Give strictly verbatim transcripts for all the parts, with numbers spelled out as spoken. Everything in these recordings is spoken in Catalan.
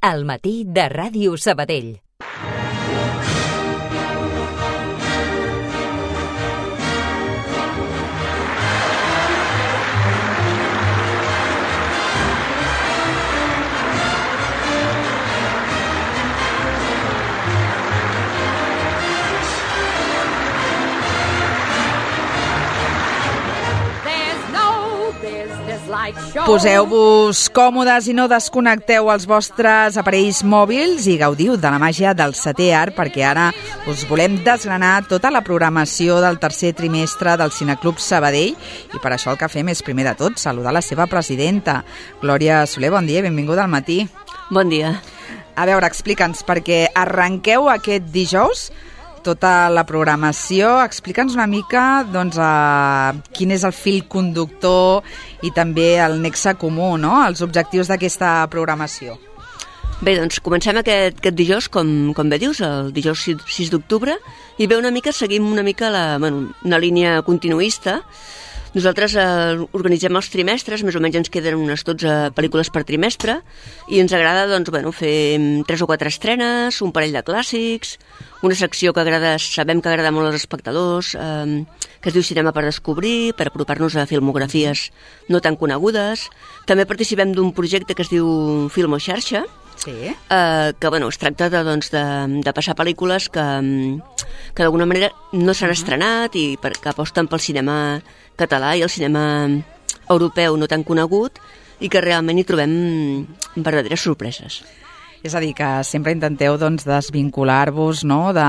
al matí de Ràdio Sabadell. Poseu-vos còmodes i no desconnecteu els vostres aparells mòbils i gaudiu de la màgia del setè art, perquè ara us volem desgranar tota la programació del tercer trimestre del Cineclub Sabadell, i per això el que fem és, primer de tot, saludar la seva presidenta. Glòria Soler, bon dia i benvinguda al matí. Bon dia. A veure, explica'ns, perquè arrenqueu aquest dijous tota la programació. Explica'ns una mica doncs, eh, quin és el fil conductor i també el nexe comú, no? Els objectius d'aquesta programació. Bé, doncs comencem aquest, aquest dijous, com, com bé dius, el dijous sis d'octubre, i bé, una mica seguim una mica la, bueno, una línia continuista. Nosaltres eh, organitzem els trimestres, més o menys ens queden unes dotze pel·lícules per trimestre, i ens agrada doncs, bueno, fer tres o quatre estrenes, un parell de clàssics, una secció que agrada, sabem que agrada molt als espectadors, eh, que es diu Cinema per descobrir, per apropar-nos a filmografies no tan conegudes. També participem d'un projecte que es diu Filmo Xarxa, sí. eh, que bueno, es tracta de, doncs, de, de passar pel·lícules que, que d'alguna manera no s'han uh-huh. estrenat i per, que aposten pel cinema català i el cinema europeu no tan conegut, i que realment hi trobem verdaderes sorpreses. És a dir, que sempre intenteu doncs, desvincular-vos, no?, de,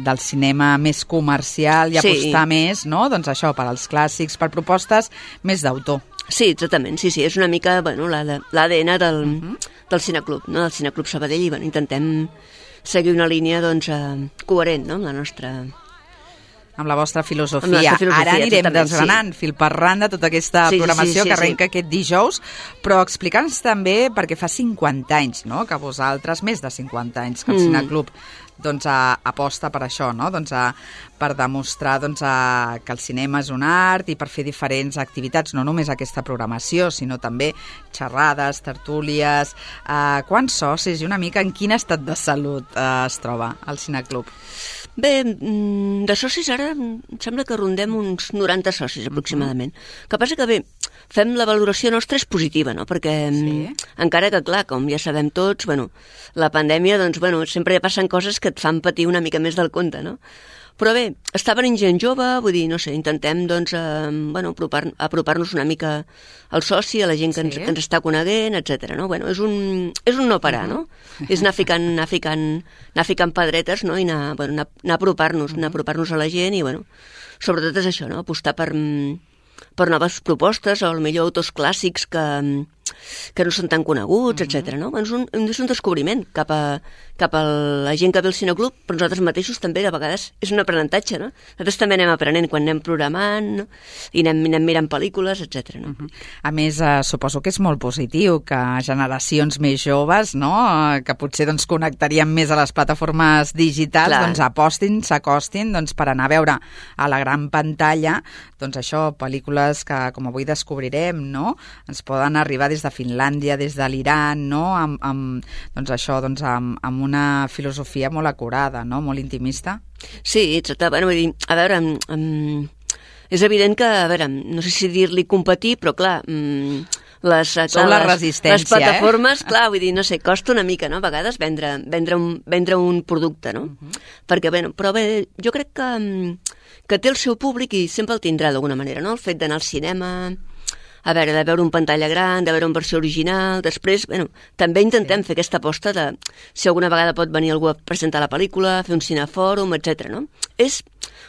del cinema més comercial i sí. apostar més, no?, doncs això, per als clàssics, per propostes més d'autor. Sí, exactament, sí, sí, és una mica bueno, l'A D N del, uh-huh. del Cineclub, no?, del Cineclub Sabadell, i bueno, intentem seguir una línia doncs, eh, coherent, no?, amb la nostra... amb la vostra filosofia. La nostra filosofia. Ara anirem desgranant sí. fil per randa tota aquesta sí, programació sí, sí, sí, que arrenca sí. aquest dijous, però explica'ns també, perquè fa cinquanta anys, no?, que vosaltres, més de cinquanta anys, que el mm. Cineclub doncs, a, aposta per això, no?, doncs, a, per demostrar doncs, a, que el cinema és un art i per fer diferents activitats, no només aquesta programació, sinó també xerrades, tertúlies. Eh, quants socis i una mica en quin estat de salut eh, es troba el Cineclub? Bé, de socis ara em sembla que rondem uns noranta socis aproximadament. El que passa que bé, fem la valoració nostra és positiva, no? Perquè sí. encara que, clar, com ja sabem tots, bueno, la pandèmia, doncs, bueno, sempre passen coses que et fan patir una mica més del compte, no? Però bé, està venint gent jove, vull dir, no sé, intentem, doncs, eh, bueno, apropar, apropar-nos una mica al soci, a la gent que, sí. ens, que ens està coneguent, etcètera, no? Bueno, és un, és un no parar, uh-huh. no? És anar ficant, anar ficant, anar ficant pedretes, no? I anar, bueno, anar, anar apropar-nos, uh-huh. anar apropar-nos a la gent i, bueno, sobretot és això, no? Apostar per, per noves propostes o potser autors clàssics que... que no són tan coneguts, mm-hmm. etcètera. No? És, un, és un descobriment cap a, cap a la gent que ve al Cineclub, però nosaltres mateixos també, de vegades, és un aprenentatge, no? Nosaltres també anem aprenent quan anem programant, no? I anem, anem mirant pel·lícules, etcètera. No? Mm-hmm. A més, eh, suposo que és molt positiu que generacions més joves, no?, eh, que potser doncs, connectarien més a les plataformes digitals, Clar. doncs apostin, s'acostin doncs, per anar a veure a la gran pantalla doncs això, pel·lícules que, com avui descobrirem, no?, ens poden arribar des de Finlàndia, des de l'Iran, no?, amb, amb, doncs això, doncs, amb, amb una filosofia molt acurada, no?, molt intimista. Sí, exacte. Bueno, vull dir, a veure, amb, amb... és evident que, a veure, no sé si dir-li competir, però clar, les, clar, la les, les plataformes, eh? clar, vull dir, no sé, costa una mica, no?, a vegades vendre, vendre, un, vendre un producte, no? Uh-huh. Perquè, bé, però bé, jo crec que, que té el seu públic i sempre el tindrà d'alguna manera, no?, el fet d'anar al cinema, a veure, de veure un pantalla gran, de veure una versió original, després, bueno, també intentem sí. fer aquesta aposta de si alguna vegada pot venir algú a presentar la pel·lícula, fer un cinefòrum, etcètera, no? És,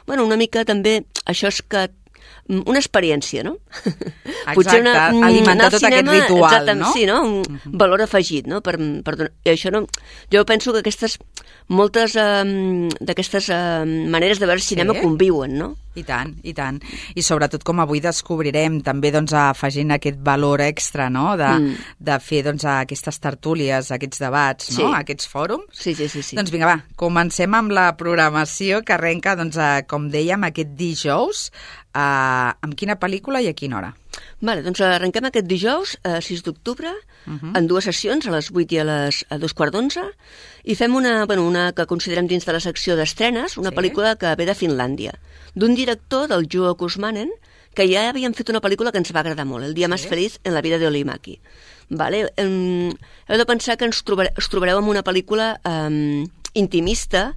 bueno, una mica també, això és que una experiència, no? Exacte, una, alimentar tot cinema, aquest ritual, exacte, no? Sí, no? Un uh-huh. valor afegit, no? Per, per, i això no... Jo penso que aquestes, moltes um, d'aquestes um, maneres de veure cinema sí? conviuen, no? I tant, i tant. I sobretot, com avui descobrirem, també doncs, afegint aquest valor extra, no?, de, mm. de fer doncs, aquestes tertúlies, aquests debats, sí. no?, aquests fòrums. Sí, sí, sí, sí. Doncs vinga, va, comencem amb la programació que arrenca, doncs, a, com dèiem, aquest dijous Uh, amb quina pel·lícula i a quina hora? Vale, doncs arrenquem aquest dijous, eh, sis d'octubre, uh-huh. en dues sessions, a les vuit i a les a dos quarts d'onze, i fem una, bueno, una que considerem dins de la secció d'estrenes, una sí. pel·lícula que ve de Finlàndia, d'un director, del Juho Kuusmanen, que ja havíem fet una pel·lícula que ens va agradar molt, El dia sí. més feliç en la vida de Olimaki. Vale? Um, heu de pensar que ens trobar, us trobareu en una pel·lícula um, intimista,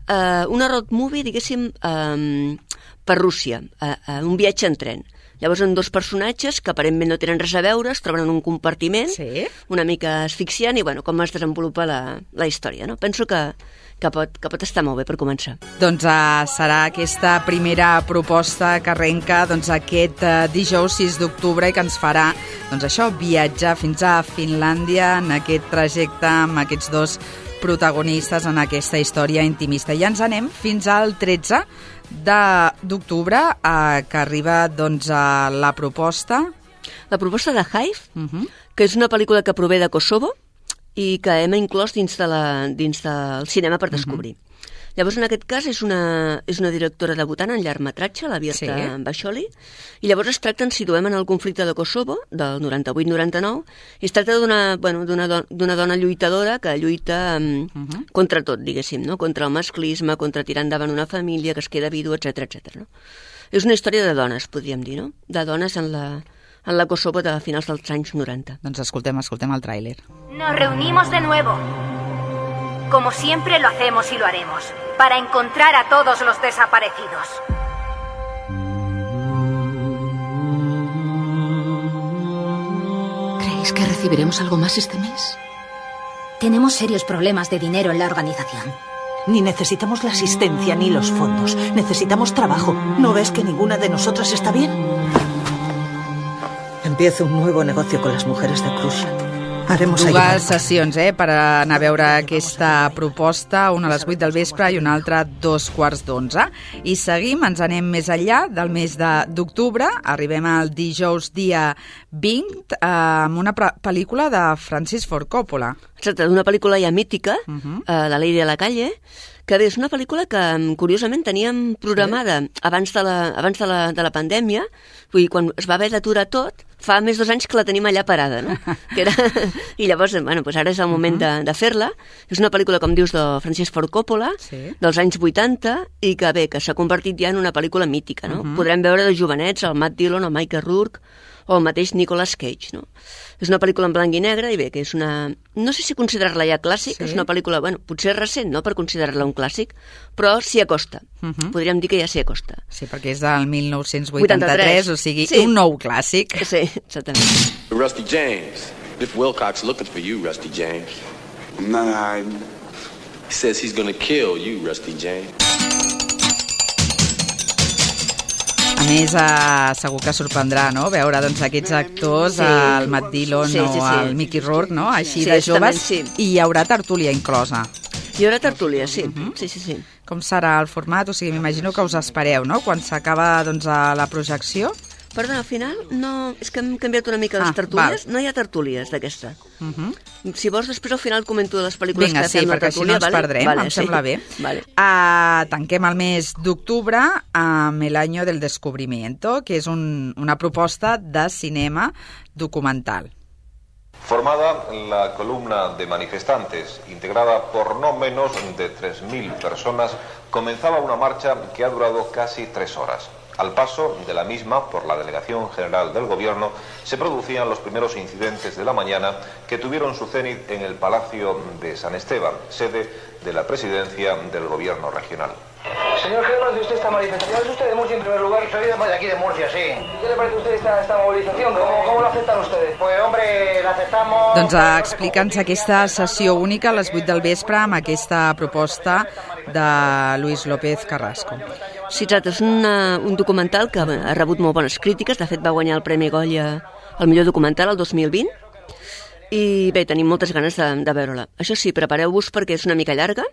uh, una road movie, diguéssim, um, per Rússia, uh, uh, un viatge en tren. Llavors, són dos personatges que aparentment no tenen res a veure, es troben en un compartiment, sí. una mica asfixiant, i bueno, com es desenvolupa la, la història, no? Penso que, que, pot, que pot estar molt bé per començar. Doncs uh, serà aquesta primera proposta que arrenca doncs, aquest uh, dijous sis d'octubre i que ens farà doncs, això, viatjar fins a Finlàndia en aquest trajecte amb aquests dos protagonistes en aquesta història intimista. I ja ens anem fins al tretze d'octubre, eh, que arriba doncs, a la proposta... La proposta de Hive, uh-huh. que és una pel·lícula que prové de Kosovo i que hem inclòs dins, de la, dins del cinema per descobrir. Uh-huh. Llavors, en aquest cas, és una, és una directora debutant en llargmetratge, la Birta sí. Basholi, i llavors es tracta, ens situem en el conflicte de Kosovo, del noranta-vuit noranta-nou, i es tracta d'una bueno, d'una do, d'una dona lluitadora que lluita um, uh-huh. contra tot, diguéssim, no? Contra el masclisme, contra tirar endavant una família que es queda vídua, etcètera etcètera. No? És una història de dones, podríem dir, no? De dones en la, en la Kosovo de finals dels anys noranta. Doncs escoltem, escoltem el tràiler. Nos reunimos de nuevo. Como siempre lo hacemos y lo haremos, para encontrar a todos los desaparecidos. ¿Creéis que recibiremos algo más este mes? Tenemos serios problemas de dinero en la organización. Ni necesitamos la asistencia ni los fondos. Necesitamos trabajo. ¿No ves que ninguna de nosotras está bien? Empiezo un nuevo negocio con las mujeres de Krusha. Haremos dues sessions eh, per anar a veure aquesta proposta, una a les vuit del vespre i una altra a dos quarts d'onze. I seguim, ens anem més enllà del mes d'octubre, arribem al dijous dia vint eh, amb una pel·lícula de Francis Ford Coppola. Exacte, una pel·lícula ja mítica, uh-huh. eh, La Ley de la Calle, que bé, és una pel·lícula que, curiosament, teníem programada sí. abans, de la, abans de, la, de la pandèmia, vull dir, quan es va haver d'aturar tot, fa més dos anys que la tenim allà parada, no? Que era... I llavors, bueno, doncs ara és el moment uh-huh. de, de fer-la. És una pel·lícula, com dius, de Francis Ford Coppola, sí. dels anys vuitanta, i que bé, que s'ha convertit ja en una pel·lícula mítica, no? Uh-huh. Podrem veure de jovenets el Matt Dillon, el Michael Rourke, o el mateix Nicolas Cage, no? És una pel·lícula en blanc i negre i bé, que és una... No sé si considerar-la ja clàssic, sí. és una pel·lícula, bueno, potser recent, no?, per considerar-la un clàssic, però s'hi acosta. Uh-huh. Podríem dir que ja s'hi acosta. Sí, perquè és del mil nou-cents vuitanta-tres, o sigui, sí. un nou clàssic. Sí, exactament. Rusty James. Biff Wilcox looking for you, Rusty James. I'm not hiding. He says he's gonna kill you, Rusty James. A més, eh, segur que sorprendrà, no?, veure doncs, aquests actors, sí. el Matt Dillon sí, sí, sí. o el Mickey Rourke, no?, així sí, de joves, sí. i hi haurà tertúlia inclosa. Hi haurà tertúlia, sí. Uh-huh. sí, sí, sí. Com serà el format? O sigui, m'imagino que us espereu, no?, quan s'acaba doncs, la projecció. Perdona, al final, no... és que hem canviat una mica les ah, tertúlies. Val. No hi ha tertúlies d'aquesta. Uh-huh. Si vols, després al final comento de les pel·lícules Vinga, que sí, fem la Vinga, sí, perquè tertúlia. així no ens vale? perdrem, vale, em sí. sembla bé. Vale. Uh, tanquem el mes d'octubre amb El año del descubrimiento, que és un, una proposta de cinema documental. Formada la columna de manifestantes, integrada por no menos de tres mil personas, comenzaba una marcha que ha durado casi tres horas. Al paso de la misma por la Delegación General del Gobierno se producían los primeros incidentes de la mañana que tuvieron su cenit en el Palacio de San Esteban, sede de la presidencia del Gobierno regional. Señor Germán, de usted esta manifestación, ¿es usted de Murcia en primer lugar? Soy de aquí de Murcia, sí. ¿Qué le parece a usted esta, esta movilización? ¿Cómo, ¿Cómo la aceptan ustedes? Pues hombre, la aceptamos... Doncs explica'ns aquesta sessió única a les vuit del vespre amb aquesta proposta de Luis López Carrasco. Sí, exacte, és una, un documental que ha rebut molt bones crítiques, de fet va guanyar el Premi Goya al millor documental el dos mil vint, i bé, tenim moltes ganes de, de veure-la. Això sí, prepareu-vos perquè és una mica llarga,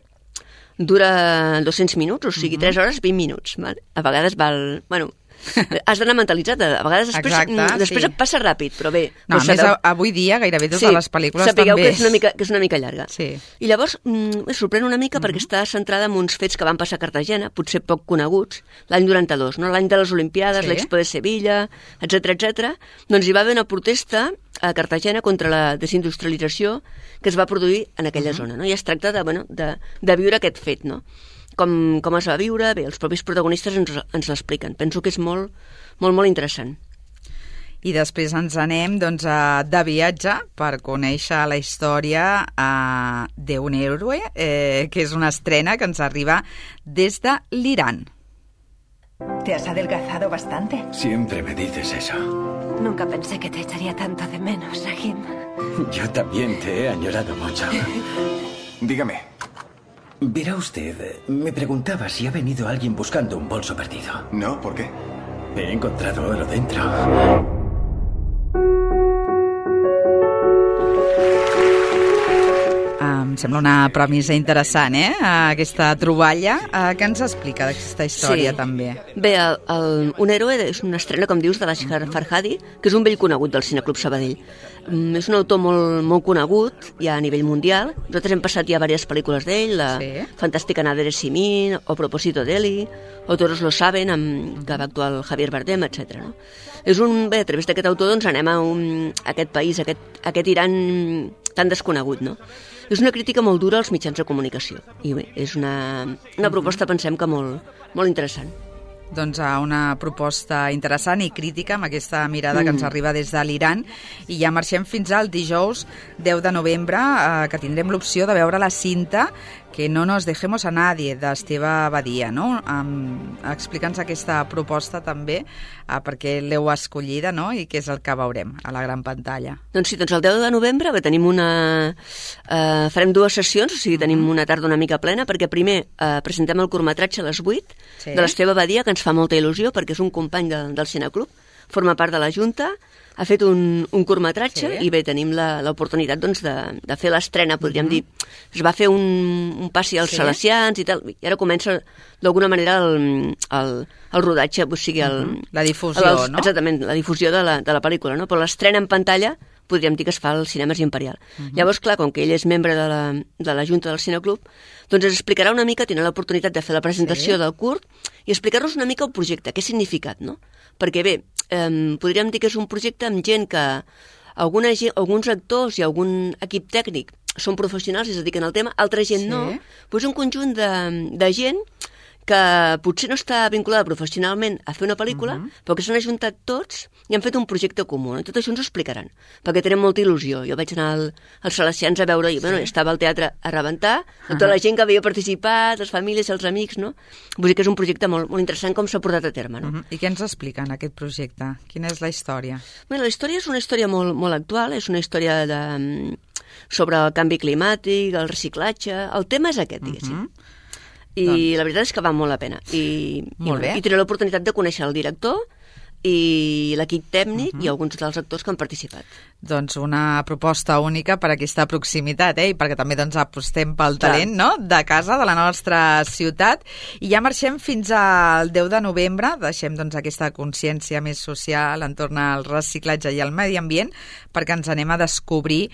dura dos-cents minuts, o sigui, tres hores, vint minuts. Vale? A vegades val... Bueno, has d'anar mentalitzat. A vegades després, Exacte, després sí. et passa ràpid, però bé... No, a més, sabeu... avui dia gairebé totes sí, les pel·lícules sapigueu també... que és una mica, que és una mica llarga. Sí. I llavors mm, em sorprèn una mica mm-hmm. perquè està centrada en uns fets que van passar a Cartagena, potser poc coneguts, l'any noranta-dos, no? L'any de les Olimpiades, sí. l'Expo de Sevilla, etcètera, etcètera. Doncs hi va haver una protesta a Cartagena contra la desindustrialització que es va produir en aquella mm-hmm. zona, no? I es tracta de, bueno, de, de viure aquest fet, no? Com, com es va viure, bé, els propis protagonistes ens, ens l'expliquen. Penso que és molt, molt, molt interessant. I després ens anem doncs, a, de viatge per conèixer la història uh, d'un héroe, eh, que és una estrena que ens arriba des de l'Iran. ¿Te has adelgazado bastante? Siempre me dices eso. Nunca pensé que te echaría tanto de menos, Rahim. Yo también te he añorado mucho. Dígame. Verá usted, me preguntaba si ha venido alguien buscando un bolso perdido. No, ¿por qué? He encontrado oro dentro. Em sembla una premissa interessant, eh? Aquesta troballa. Uh, què ens explica d'aquesta història, sí. també? Bé, el, el, un héroe és una estrena, com dius, de l'Ashgar Farhadi, que és un vell conegut del Cineclub Sabadell. Um, és un autor molt, molt conegut, ja a nivell mundial. Nosaltres hem passat ja diverses pel·lícules d'ell, la sí. Fantàstica Nader Simin, o Proposito d'Eli, o Todos lo saben, amb, que va actuar el Javier Bardem, etcètera. No? És un, bé, a través d'aquest autor doncs, anem a, un, a aquest país, a aquest, a aquest Iran tan desconegut, no? És una crítica molt dura als mitjans de comunicació. I bé, és una, una proposta, pensem que molt, molt interessant. Doncs una proposta interessant i crítica amb aquesta mirada mm. que ens arriba des de l'Iran. I ja marxem fins al dijous deu de novembre, eh, que tindrem l'opció de veure la cinta Que no nos dejemos a nadie, d'Esteve Badia, no? Um, Explica'ns aquesta proposta també, uh, perquè l'heu escollida, no? I què és el que veurem a la gran pantalla. Doncs sí, doncs el deu de novembre tenim una... Uh, farem dues sessions, o sigui, tenim una tarda una mica plena, perquè primer uh, presentem el curtmetratge a les vuit, sí. de l'Esteve Badia, que ens fa molta il·lusió, perquè és un company de, del Cineclub, forma part de la Junta, ha fet un, un curtmetratge sí. i bé, tenim l'oportunitat doncs, de, de fer l'estrena, podríem uh-huh. dir. Es va fer un, un passi als sí. salesians i tal, i ara comença d'alguna manera el, el, el rodatge, o sigui, el, uh-huh. la difusió, el, no? Exactament, la difusió de la, de la pel·lícula, no? Però l'estrena en pantalla podríem dir que es fa al Cinemes Imperial. Uh-huh. Llavors, clar, com que ell és membre de la, de la Junta del Cineclub, doncs ens explicarà una mica, tindrà l'oportunitat de fer la presentació sí. del curt i explicar-nos una mica el projecte, què ha significat, no? Perquè bé, eh, podríem dir que és un projecte amb gent que alguna gent, alguns actors i algun equip tècnic són professionals i es dediquen al tema, altra gent sí. no, però és un conjunt de, de gent que potser no està vinculada professionalment a fer una pel·lícula, uh-huh. però que s'han ajuntat tots i han fet un projecte comú. I tot això ens ho explicaran, perquè tenen molta il·lusió. Jo vaig anar al, als Salesians a veure, i sí. bueno, estava al teatre a rebentar, uh-huh. tota la gent que havia participat, les famílies, els amics, no? Vull dir que és un projecte molt, molt interessant com s'ha portat a terme, no? Uh-huh. I què ens explica en aquest projecte? Quina és la història? Bé, la història és una història molt, molt actual, és una història de, sobre el canvi climàtic, el reciclatge... El tema és aquest, diguéssim. Uh-huh. I doncs. La veritat és que val molt la pena. I, molt i, bé. I tindré l'oportunitat de conèixer el director i l'equip tècnic uh-huh. i alguns dels actors que han participat. Doncs una proposta única per aquesta proximitat, eh? I perquè també doncs, apostem pel talent no? de casa, de la nostra ciutat. I ja marxem fins al deu de novembre, deixem doncs, aquesta consciència més social entorn al reciclatge i al medi ambient, perquè ens anem a descobrir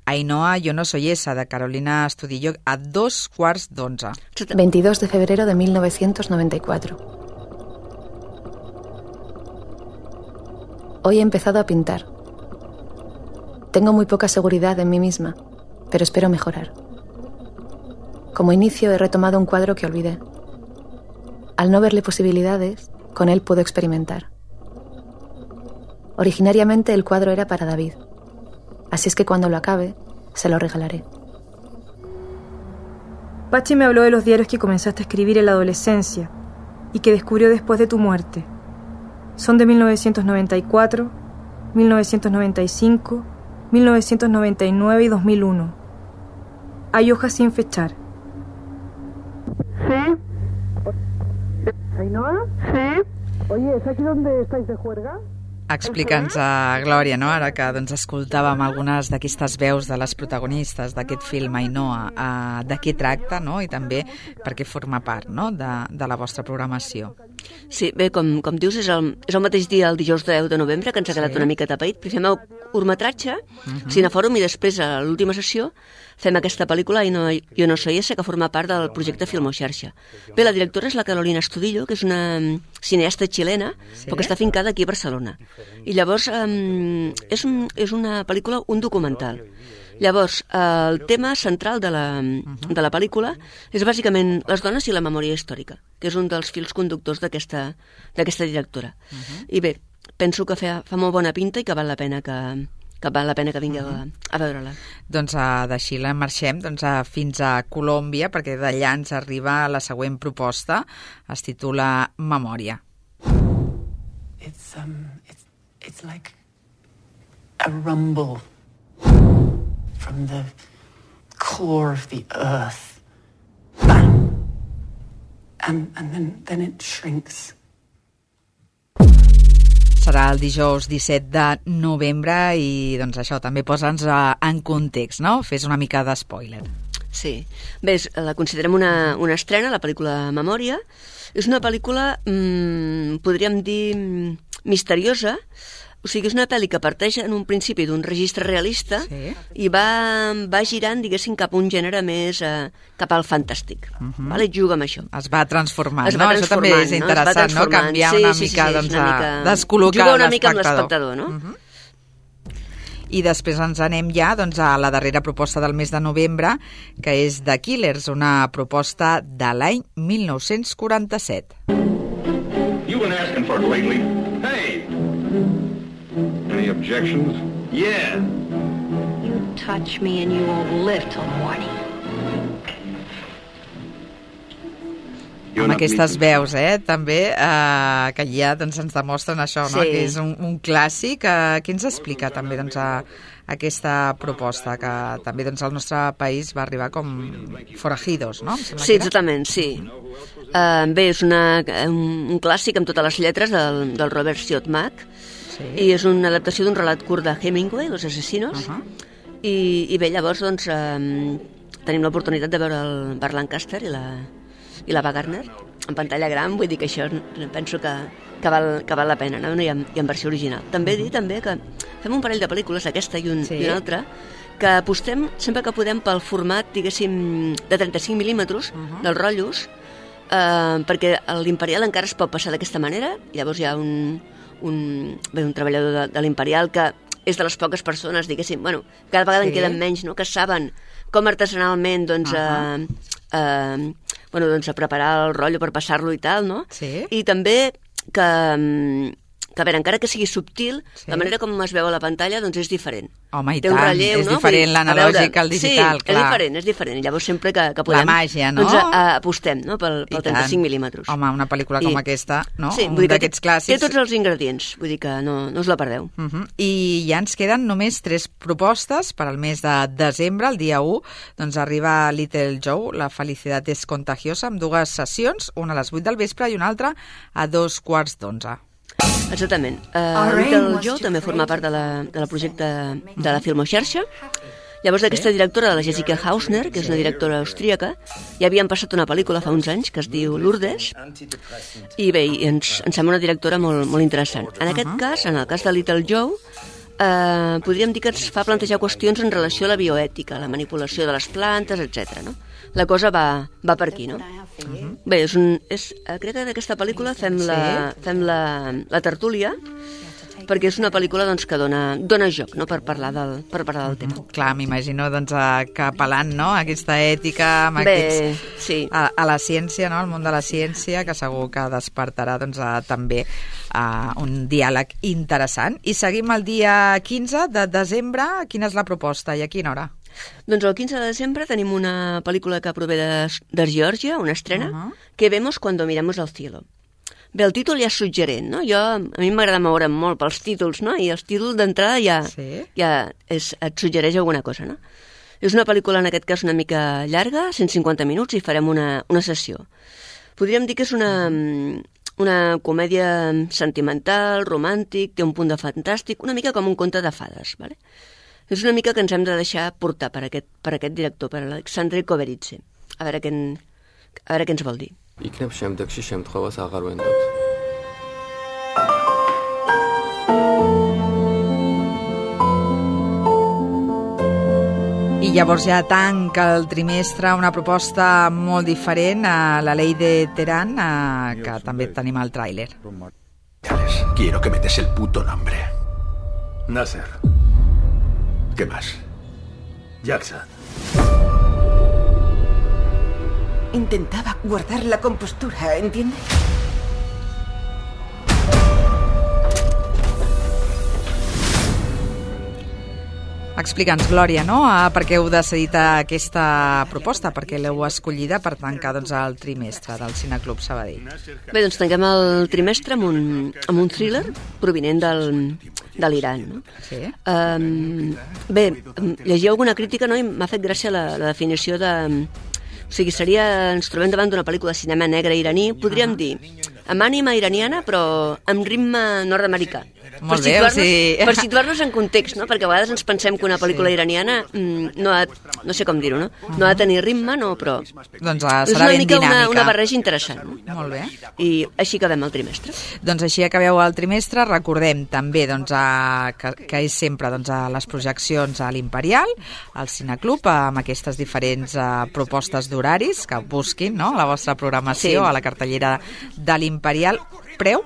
Ainhoa, yo no soy esa, de Carolina Estudillo, a dos quarts d'onze. veintidós de febrero de mil novecientos noventa y cuatro. Hoy he empezado a pintar. Tengo muy poca seguridad en mí misma, pero espero mejorar. Como inicio he retomado un cuadro que olvidé. Al no verle posibilidades, con él puedo experimentar. Originariamente el cuadro era para David. Así es que cuando lo acabe, se lo regalaré. Pachi me habló de los diarios que comenzaste a escribir en la adolescencia y que descubrió después de tu muerte. Son de mil novecientos noventa y cuatro, mil novecientos noventa y cinco, mil novecientos noventa y nueve y dos mil uno. Hay hojas sin fechar. ¿Sí? ¿Ainhoa? Sí. Oye, ¿es aquí donde estáis de juerga? Explica'ns, a Glòria, no? Ara que doncs, escoltàvem algunes d'aquestes veus de les protagonistes d'aquest film, Ainhoa, uh, de què tracta, no? I també perquè forma part no? de, de la vostra programació. Sí, bé, com, com dius, és el, és el mateix dia, el dijous deu de novembre, que ens ha quedat sí. una mica tapaït. Fem el curtmetratge, uh-huh. Cinefòrum, i després, a l'última sessió, fem aquesta pel·lícula, I no, Jo no soy ese, que forma part del projecte Filmoxarxa. Bé, la directora és la Carolina Estudillo, que és una cineasta xilena, sí. però que està fincada aquí a Barcelona. I llavors, um, és, un, és una pel·lícula, un documental. Llavors, el tema central de la, de la pel·lícula és bàsicament les dones i la memòria històrica, que és un dels fils conductors d'aquesta d'aquesta directora. Uh-huh. I bé, penso que fa, fa molt bona pinta i que val la pena que, que, val la pena que vingueu uh-huh. a, a veure-la. Doncs uh, de Xile marxem doncs, uh, fins a Colòmbia, perquè d'allà ens arriba la següent proposta, es titula Memòria. It's, um, it's, it's like a rumble from the core of the earth. Bang! And, and then, then it shrinks. Serà el dijous disset de novembre i doncs això, també posa'ns en context, no? Fes una mica de spoiler. Sí. Bé, la considerem una, una estrena, la pel·lícula Memòria. És una pel·lícula, mmm, podríem dir, misteriosa. O sigui, és una pel·li que parteix en un principi d'un registre realista sí. i va, va girant, diguéssim, cap a un gènere més eh, cap al fantàstic. Uh-huh. Vale? Juga amb això. Es va transformant, es no? va Això també és interessant, no? Canviar sí, una sí, mica, sí, sí, doncs, una mica... a descol·locar Juga una l'espectador. mica amb l'espectador, no? Uh-huh. I després ens anem ja doncs, a la darrera proposta del mes de novembre, que és The Killers, una proposta de l'any mil nou-cents quaranta-set. You've been asking for it lately. Hey! Any objections? Yeah. You touch me and you won't live till morning. Amb aquestes veus, eh, també, eh, que ja doncs, ens demostren això, no? Sí. Que és un, un clàssic. Eh, què ens explica també doncs, a, a aquesta proposta, que també doncs, al nostre país va arribar com Forajidos, no? Sí, exactament, sí. Uh, bé, és una, un, un clàssic amb totes les lletres del, del Robert Siodmak, sí. I és una adaptació d'un relat curt de Hemingway, Los asesinos, uh-huh. I, i bé, llavors doncs, um, tenim l'oportunitat de veure el Burt Lancaster i la, i la Ava Gardner en pantalla gran, vull dir que això penso que, que, val, que val la pena, no? I, en, i en versió original. També dir també que fem un parell de pel·lícules, aquesta i, un, sí. i una altra, que apostem sempre que podem pel format, diguéssim, de trenta-cinc mil·límetres uh-huh. dels rotllos, eh, perquè l'Imperial encara es pot passar d'aquesta manera. Llavors hi ha un, un, bé, un treballador de, de l'Imperial que és de les poques persones, diguéssim, bueno, cada vegada sí. en queden menys, no?, que saben com artesanalment, doncs, uh-huh. eh, eh, bueno, doncs, a preparar el rotllo per passar-lo i tal, no? Sí. I també que, que, a veure, encara que sigui subtil, sí. la manera com es veu a la pantalla, doncs, és diferent. Home, i Té tant, un relleu, és no? diferent l'analògic al digital, sí, clar. és diferent, és diferent. Llavors sempre que, que podem... La màgia, no? Doncs a, a, apostem, no?, pel, pel trenta-cinc mil·límetres. Home, una pel·lícula com I, aquesta, no? Sí, un d'aquests clàssics. Té tots els ingredients, vull dir que no, no us la perdeu. Uh-huh. I ja ens queden només tres propostes per al mes de desembre, el dia u, doncs arriba Little Joe, La felicitat és contagiosa, amb dues sessions, una a les vuit del vespre i una altra a dos quarts d'onze. Exactament. Uh, Little Joe també forma part de la, de la projecte de la Filmoxarxa. Llavors d'aquesta directora, de la Jessica Hausner, que és una directora austríaca, ja havien passat una pel·lícula fa uns anys que es diu Lourdes, i bé, ens, ens sembla una directora molt, molt interessant. En aquest uh-huh. cas, en el cas de Little Joe, eh, podríem dir que ens fa plantejar qüestions en relació a la bioètica, la manipulació de les plantes, etcètera, no? La cosa va, va per aquí, no? Uh-huh. Bé, és un, és, crec que d'aquesta pel·lícula fem, la, sí. fem la, la tertúlia, perquè és una pel·lícula doncs, que dona, dona joc, no?, per parlar del, per parlar del tema. Clar, m'imagino doncs, que apel·lant, no?, a aquesta ètica, amb Bé, aquests, sí. a, a la ciència, no?, al món de la ciència, que segur que despertarà doncs, a, també a un diàleg interessant. I seguim el dia quinze de desembre. Quina és la proposta i a quina hora? Doncs el quinze de desembre tenim una pel·lícula que prové de, de Geòrgia, una estrena, uh-huh. que vemos cuando miramos al cielo. Bé, el títol ja és suggerent, no? Jo, a mi m'agrada moure'm molt pels títols, no? I els títols d'entrada ja, sí. ja és, et suggereix alguna cosa, no? És una pel·lícula, en aquest cas, una mica llarga, cent cinquanta minuts, i farem una, una sessió. Podríem dir que és una, una comèdia sentimental, romàntic, té un punt de fantàstic, una mica com un conte de fades, vale? És una mica que ens hem de deixar portar per aquest, per aquest director, per Alexandre Koveritze. A veure què, en, a veure què ens vol dir. იქნებ შემდეგში შემთხვევას აღარ ვენდობთ. llavors ja tanca el trimestre una proposta molt diferent a la Ley de Teherán, eh, que també tenim al tràiler. Quiero que me des el puto nombre. Nasser. ¿Qué más? Jackson. Intentaba guardar la compostura, ¿entiende? Explica'ns, Glòria, no? Ah, per què heu decidit aquesta proposta? Per què l'heu escollida per tancar doncs, el trimestre del Cineclub Sabadell? Bé, doncs tanquem el trimestre amb un, amb un thriller provinent del, de l'Iran. No? Sí. Um, bé, llegia alguna crítica, no? I m'ha fet gràcia la, la definició de... O sigui, seria, ens trobem davant d'una pel·lícula de cinema negre iraní, podríem dir, amb ànima iraniana, però amb ritme nord-americà. Molt per bé, o sigui... Per situar-nos en context, no? Perquè a vegades ens pensem que una pel·lícula sí. iraniana mm, no ha, no sé com dir-ho, no? No ha de tenir ritme, no, però... Doncs uh, serà ben dinàmica. És una mica una, una barreja interessant. No? Molt bé. I així acabem el trimestre. Doncs així acabeu el trimestre. Recordem també doncs, a, que, que és sempre doncs, a les projeccions a l'Imperial, al Cineclub, amb aquestes diferents uh, propostes d'horaris que busquin, no?, la vostra programació sí. a la cartellera de l'Imperial. Preu?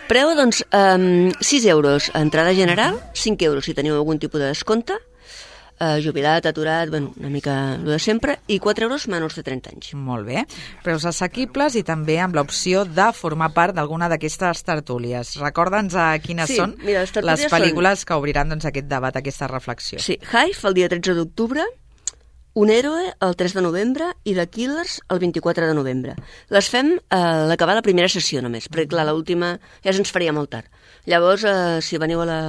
Preu, doncs, um, sis euros a entrada general, cinc euros si teniu algun tipus de descompte, uh, jubilat, aturat, bueno, una mica el de sempre, i quatre euros menors de trenta anys. Molt bé. Preus assequibles i també amb l'opció de formar part d'alguna d'aquestes tertúlies. Recorda'ns a quines sí, són mira, les, les pel·lícules són... que obriran doncs, aquest debat, aquesta reflexió. Sí, Hive el dia tretze d'octubre, Un héroe el tres de novembre i The Killers el vint-i-quatre de novembre. Les fem a eh, l'acabar la primera sessió només, perquè clar, l'última ja se'ns faria molt tard. Llavors, eh, si veniu a la,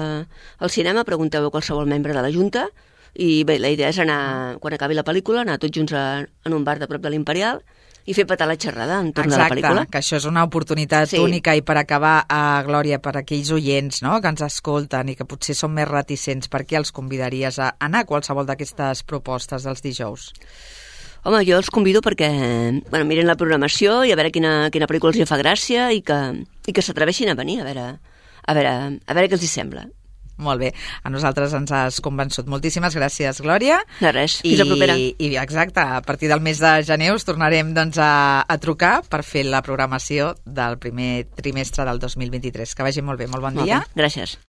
al cinema, pregunteu a qualsevol membre de la Junta i bé, la idea és anar, quan acabi la pel·lícula, anar tots junts a, en un bar de prop de l'Imperial i fer petar la xerrada entorn Exacte, de la pel·lícula. Que això és una oportunitat sí. única i per acabar, a Glòria, per aquells oients no?, que ens escolten i que potser són més reticents, per què els convidaries a anar a qualsevol d'aquestes propostes dels dijous? Home, jo els convido perquè bueno, miren la programació i a veure quina, quina pel·lícula els fa gràcia i que, i que s'atreveixin a venir, a veure, a veure, a veure què els hi sembla. Molt bé, a nosaltres ens has convençut. Moltíssimes gràcies, Glòria. De res, fins a propera. I exacte, a partir del mes de gener us tornarem doncs, a, a trucar per fer la programació del primer trimestre del dos mil vint-i-tres. Que vagi molt bé, molt bon molt dia. Bé. Gràcies.